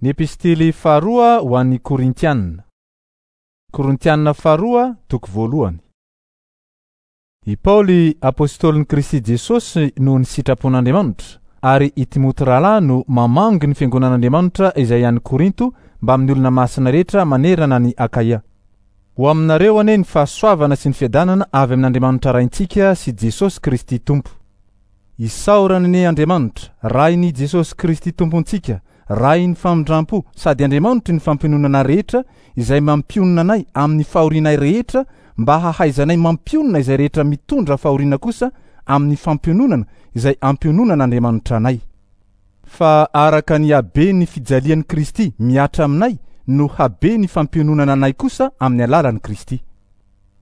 Ny epistily faharoa ho an'ny Korintiana. Korintiana faharoa toko voalohany. I Paoly apostolin'i Kristy Jesosy noho ny sitrapon'Andriamanitra, ary i Timoty rahalahy no mamangy ny fiangonan'Andriamanitra izay any Korinto mbamin'ny olona masina rehetra manerana an'i Akaia. Ho aminareo anie ny fahasoavana sy ny fiadanana avy amin'Andriamanitra Raintsika sy Jesosy Kristy Tompo. Isaorana anie Andriamanitra, Rain'i Jesosy Kristy Tompontsika, Rain'ny famindrampo sady Andriamanitry ny fampiononana rehetra, izay mampionona anay amin'ny fahorianay rehetra mba hahaizanay mampionona izay rehetra mitondra fahoriana kosa amin'ny fampiononana izay ampiononan'Andriamanitra anay. Fa araka ny haben'ny fijalian'i Kristy mihatra aminay no haben'ny fampiononana anay kosa amin'ny alalan'i Kristy.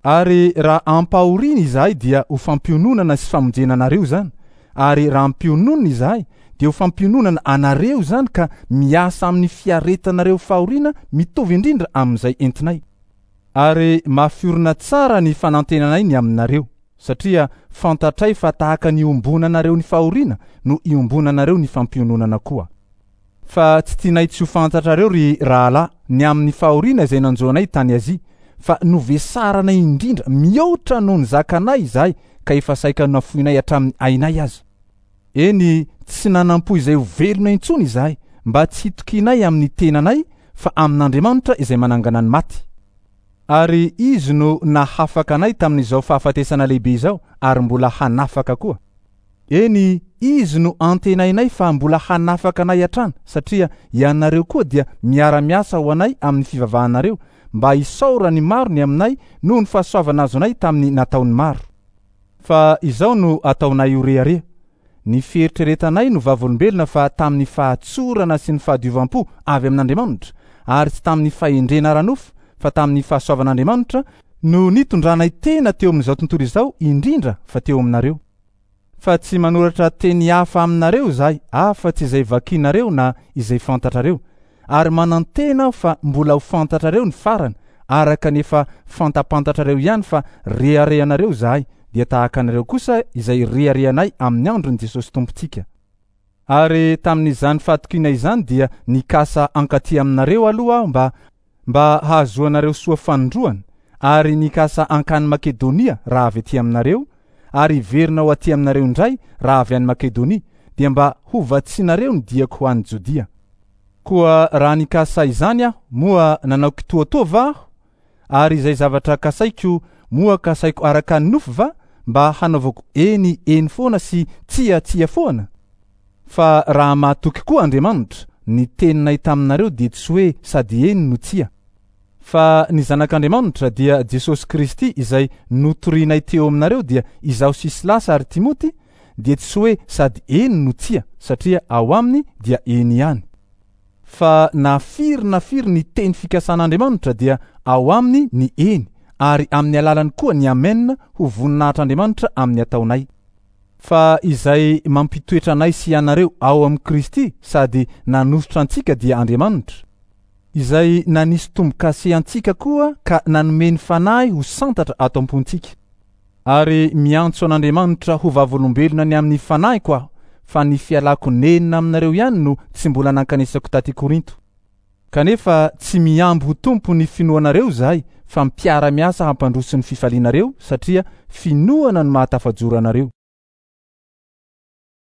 Ary raha ampahoriana izahay dia ho fampiononana sy famonjena anareo izany, ary raha ampiononina izahay dia ho fampiononana anareo izany ka miasa amin'ny fiaretanareo fahoriana mitovy indrindra amin'izay entinay. Ary mafiorina tsara ny fanantenanay ny aminareo, satria fantatray fa tahaka ny iombonanareo ny fahoriana no iombonanareo ny fampiononana koa. Fa tsy tianay tsy ho fantatrareo, ry rahalahy, ny amin'ny fahoriana izay nanjo anay tany Azia, fa novesaranay indrindra mihoatra noho ny zakanay izahay ka efa saika nafoinay hatramin'ny ainay aza. Eny, tsy nanam-po izay ho velona intsony izahay, mba tsy hitokianay amin'ny tenanay, fa amin'Andriamanitra izay manangana ny maty. Ary Izy no nahafaka anay tamin'izao fahafatesana lehibe izao, ary mbola hanafaka koa. Eny, Izy no antenainay fa mbola hanafaka anay hatrany, satria ianareo koa dia miara-miasa ho anay amin'ny fivavahanareo, mba hisaoran'ny maro ny aminay noho ny fahasoavana azonay tamin'ny nataon'ny maro. Fa izao no ataonay ho rehareha, Ny fieritreretanay no vavolombelona fa tamin'ny fahatsorana sy ny fahadiovam-po avy amin'Andriamanitra, ary tsy tamin'ny fahendrena ara-nofo, fa tamin'ny fahasoavan'Andriamanitra, no nitondranay tena teo amin'izao tontolo izao, indrindra fa teo aminareo. Fa tsy manoratra teny hafa aminareo izahay afa-tsy izay vakinareo na izay fantatrareo, ary manantena aho fa mbola ho fantatrareo ny farany, araka ny efa fantapantatrareo ihany fa reharehanareo izahay, dia tahaka anareo kosa izay reharehanay amin'ny andron'i Jesosy Tompontsika. Ary tamin'izany fahatokiana izany dia nikasa hankaty aminareo aloha aho mba mba hahazoanareo soa fanindroany, ary nikasa hankany Makedonia raha avy aty aminareo, ary hiverina ho aty aminareo indray raha avy any Makedonia, dia mba hovatsianareo ny diako ho any Jodia. Koa raha nikasa izany aho, moa nanao kitoatoa va aho? Ary izay zavatra kasaiko, moa kasaiko araka ny nofo va, mba hanaovako eny, eny foana sy tsia, tsia foana? Fa raha mahatoky koa Andriamanitra, ny teninay taminareo dia tsy hoe sady eny no tsia. Fa ny Zanak'Andriamanitra, dia Jesosy Kristy izay notorinay teo aminareo dia izaho sy Silasy ary Timoty, dia tsy hoe sady eny no tsia, satria ao aminy dia eny ihany. Fa na firy na firy ny teny fikasan'Andriamanitra dia ao aminy ny eny, ary amin'ny alalany koa ny amen ho voninahitr'Andriamanitra amin'ny ataonay. Fa izay mampitoetra anay sy ianareo ao amin'i Kristy sady nanosotra antsika dia Andriamanitra, izay nanisy tombo-kase antsika koa ka nanome ny Fanahy ho santatra ato am-pontsika. Ary miantso an'Andriamanitra ho vavolombelona ny amin'ny fanahiko aho, fa ny fialako nenina aminareo ihany no tsy mbola nankanesako taty Korinto. Kanefa tsy mihambo ho tompo ny finoanareo izahay fa mpiara-miasa hampandroso ny fifalianareo satria finoana no mahatafajoro anareo.